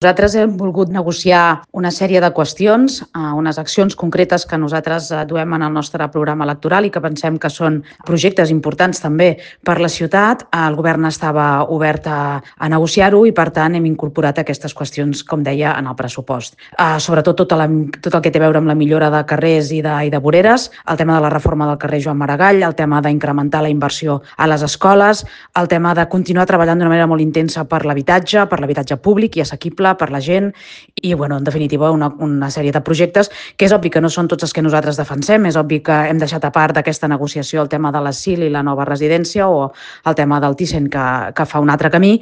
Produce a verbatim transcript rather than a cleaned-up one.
Nosaltres hem volgut negociar una sèrie de qüestions, unes accions concretes que nosaltres duem en el nostre programa electoral i que pensem que són projectes importants també per la ciutat. El govern estava obert a, a negociar-ho i, per tant, hem incorporat aquestes qüestions, com deia, en el pressupost. Uh, sobretot tot, la, tot el que té a veure amb la millora de carrers i de, i de voreres, el tema de la reforma del carrer Joan Maragall, el tema d'incrementar la inversió a les escoles, el tema de continuar treballant d'una manera molt intensa per l'habitatge, per l'habitatge públic i assequible, per la gent i, bueno, en definitiva, una, una sèrie de projectes que és obvi que no són tots els que nosaltres defensem, és obvi que hem deixat a part d'aquesta negociació el tema de l'A S I L i la nova residència o el tema del Thyssen que, que fa un altre camí,